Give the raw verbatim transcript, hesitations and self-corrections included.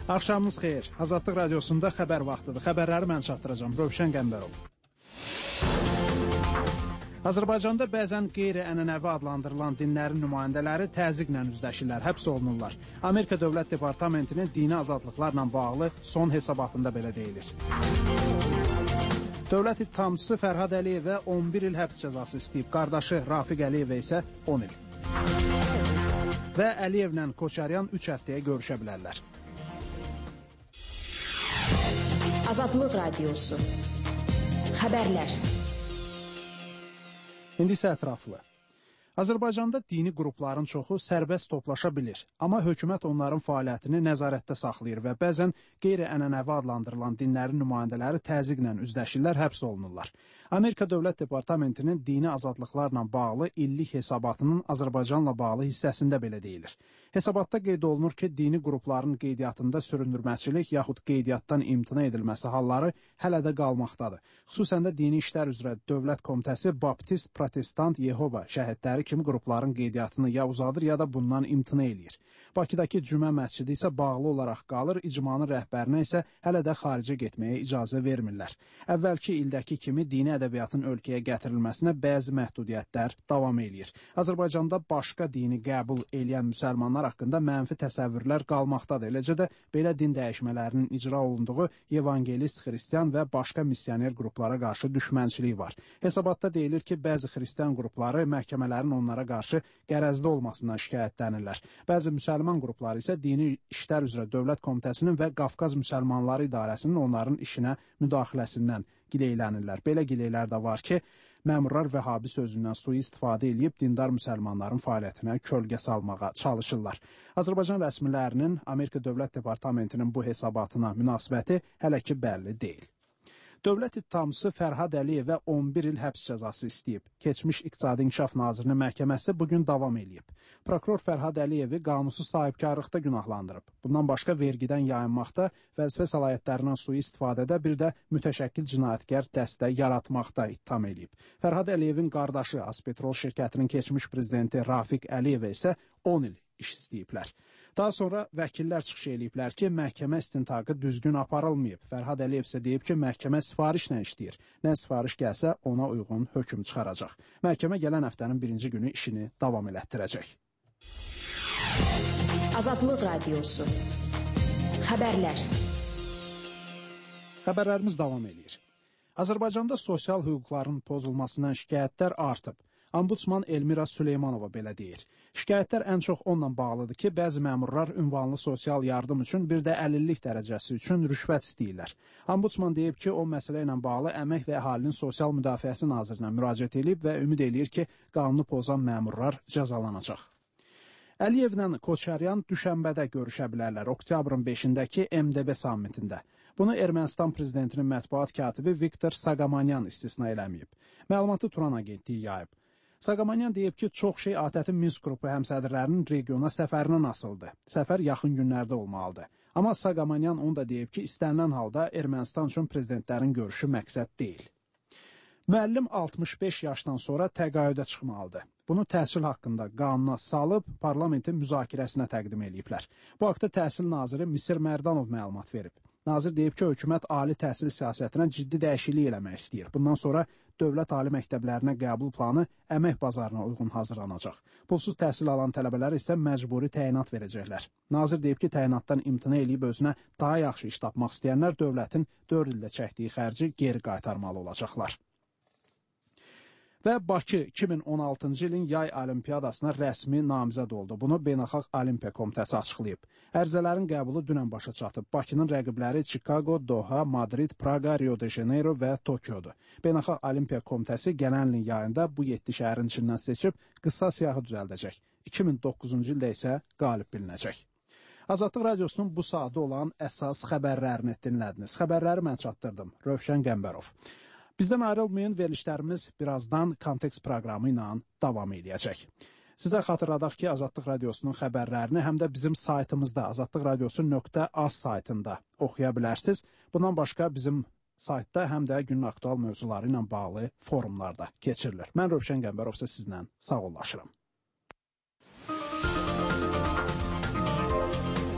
Axşamınız xeyir. Azadlıq Radiosunda xəbər vaxtıdır. Xəbərləri mən çatdıracağım. Rövşən Qəmbərov. Azərbaycanda bəzən qeyri-ənənəvi adlandırılan dinlərin nümayəndələri təzyiqlə üzləşirlər, həbs olunurlar. Amerika Dövlət Departamentinin dini azadlıqlarla bağlı son hesabatında belə deyilir. Dövlət ittihamçısı Fərhad Əliyevə on bir il həbs cəzası istəyib. Qardaşı Rafiq Əliyevə isə on il. Və Əliyevlə Koçaryan üç həftəyə görüşə bilərlər. Azadlıq Radiosu. Xəbərlər. İndi isə ətraflı. Azərbaycanda dini qrupların çoxu sərbəst toplaşa bilir, amma hökumət onların fəaliyyətini nəzarətdə saxlayır və bəzən qeyri-ənənəvi adlandırılan dinlərin nümayəndələri təzyiqlə üzləşirlər, həbs olunurlar. Amerika Dövlət Departamentinin dini azadlıqlarla bağlı illik hesabatının Azərbaycanla bağlı hissəsində belə deyilir. Hesabatda qeyd olunur ki, dini qrupların qeydiyyatında süründürməçilik yaxud qeydiyyatdan imtina edilməsi halları hələ də qalmaqdadır. Xüsusən də Dini İşlər üzrə Dövlət Komitəsi Baptist, Protestant, Yehova şəhidləri kimi qrupların qeydiyyatını ya uzadır, ya da bundan imtina eləyir. Bakıdakı Cümə məscidi isə bağlı olaraq qalır, icmanın rəhbərinə isə hələ də xaricə getməyə icazə vermirlər. Əvvəlki ildəki kimi dini ədəbiyyatın ölkəyə gətirilməsinə bəzi məhdudiyyətlər davam eləyir. Azərbaycanda başqa dini qəbul eləyən müsəlmanlar haqqında mənfi təsəvvürlər qalmaqdadır. Eləcə də belə din dəyişmələrinin icra olunduğu evangelist, xristian və başqa missioner qruplara qarşı düşmənçilik var. Hesabatda deyilir ki, bəzi xristian qrupları məhkəmələrin onlara qarşı qərəzli olmasından şikayətlənirlər. Bəzi müsəlman qrupları isə Dini İşlər üzrə Dövlət Komitəsinin və Qafqaz Müsəlmanları İdarəsinin onların işinə müdaxiləsindən gileylənirlər. Belə gileylər də var ki, məmurlar Vəhabi sözündən sui-istifadə edib dindar müsəlmanların fəaliyyətinə kölgə salmağa çalışırlar. Azərbaycan rəsmilərinin Amerika Dövlət Departamentinin bu hesabatına münasibəti hələ ki bəlli deyil. Dövlət ittihamçısı Fərhad Əliyevə on bir il həbs cəzası istəyib. Keçmiş İqtisadi İnkişaf Nazirinin məhkəməsi bugün davam eləyib. Prokuror Fərhad Əliyevi qanunsuz sahibkarlıqda günahlandırıb. Bundan başqa vergidən yayınmaqda, vəzifə səlahiyyətlərindən sui-istifadədə, bir də mütəşəkkil cinayətkar dəstə yaratmaqda ittiham eləyib. Fərhad Əliyevin qardaşı Azpetrol şirkətinin keçmiş prezidenti Rafiq Əliyevə isə on il iş istəyiblər. Daha sonra vəkillər çıxış eləyiblər ki, məhkəmə istintaqı düzgün aparılmayıb. Fərhad Əliyev isə deyib ki, məhkəmə sifarişlə işləyir. Nə sifariş gəlsə, ona uyğun hökm çıxaracaq. Məhkəmə gələn həftənin birinci günü işini davam elətdirəcək. Azadlıq Radiosu. Xəbərlər. Xəbərlərimiz davam eləyir. Azərbaycanda sosial hüquqların pozulmasından şikayətlər artıb. Ombudsman Elmira Süleymanova belə deyir. Şikayətlər ən çox onunla bağlıdır ki, bəzi məmurlar ünvanlı sosial yardım üçün, bir də əlillik dərəcəsi üçün rüşvət istəyirlər. Ombudsman deyib ki, o məsələ ilə bağlı Əmək və Əhalinin Sosial Müdafiəsi Nazirinə müraciət edib və ümid eləyir ki, qanunu pozan məmurlar cəzalanacaq. Əliyevlə Koçaryan düşənbədə görüşə bilərlər oktyabrın beşindəki M D B sammitində. Bunu Ermənistan prezidentinin mətbuat katibi Viktor Saqamanyan istisna eləməyib. Məlumatı Turan agentliyi yayıb. Saqamanyan deyib ki, çox şey ATƏT-in Minsk qrupu həmsədrlərinin regiona səfərindən asıldı. Səfər yaxın günlərdə olmalıdır. Amma Saqamanyan onu da deyib ki, istənilən halda Ermənistan üçün prezidentlərin görüşü məqsəd deyil. Müəllim altmış beş yaşdan sonra təqaüdə çıxmalıdır. Bunu təhsil haqqında qanuna salıb parlamentin müzakirəsinə təqdim ediblər. Bu haqda Təhsil naziri Misir Mərdanov məlumat verib. Nazir deyib ki, hökumət ali təhsil siyasətinə ciddi dəyişiklik eləmək istəyir. Bundan sonra dövlət ali məktəblərinə qəbul planı əmək bazarına uyğun hazırlanacaq. Pulsuz təhsil alan tələbələr isə məcburi təyinat verəcəklər. Nazir deyib ki, təyinatdan imtina eləyib özünə daha yaxşı iş tapmaq istəyənlər dövlətin dörd ildə çəkdiyi xərci geri qaytarmalı olacaqlar. Və Bakı iki min on altıncı ilin yay olimpiyadasına rəsmi namizəd oldu. Bunu Beynəlxalq Olimpiya Komitəsi açıqlayıb. Ərizələrin qəbulu dünən başa çatıb. Bakının rəqibləri Chicago, Doha, Madrid, Praga, Rio de Janeiro və Tokyodur. Beynəlxalq Olimpiya Komitəsi gələn ilin yayında bu yeddi şəhərin içindən seçib qısa siyahı düzəldəcək. iki min doqquzuncu ildə isə qalib bilinəcək. Azadlıq Radiosunun bu saatı olan əsas xəbərlərini dinlədiniz. Xəbərləri mən çatdırdım. Rövşən Qəmbərov. Bizdən ayrılmayın, verilişlərimiz birazdan Kontekst proqramı ilə davam edəcək. Sizə xatırladaq ki, Azadlıq Radiosunun xəbərlərini həm də bizim saytımızda azadlıq radiosu nöqtə az saytında oxuya bilərsiniz. Bundan başqa bizim saytda həm də günün aktual mövzuları ilə bağlı forumlarda keçirilir. Mən Rövşən Qəmbərov sizlə sağollaşıram.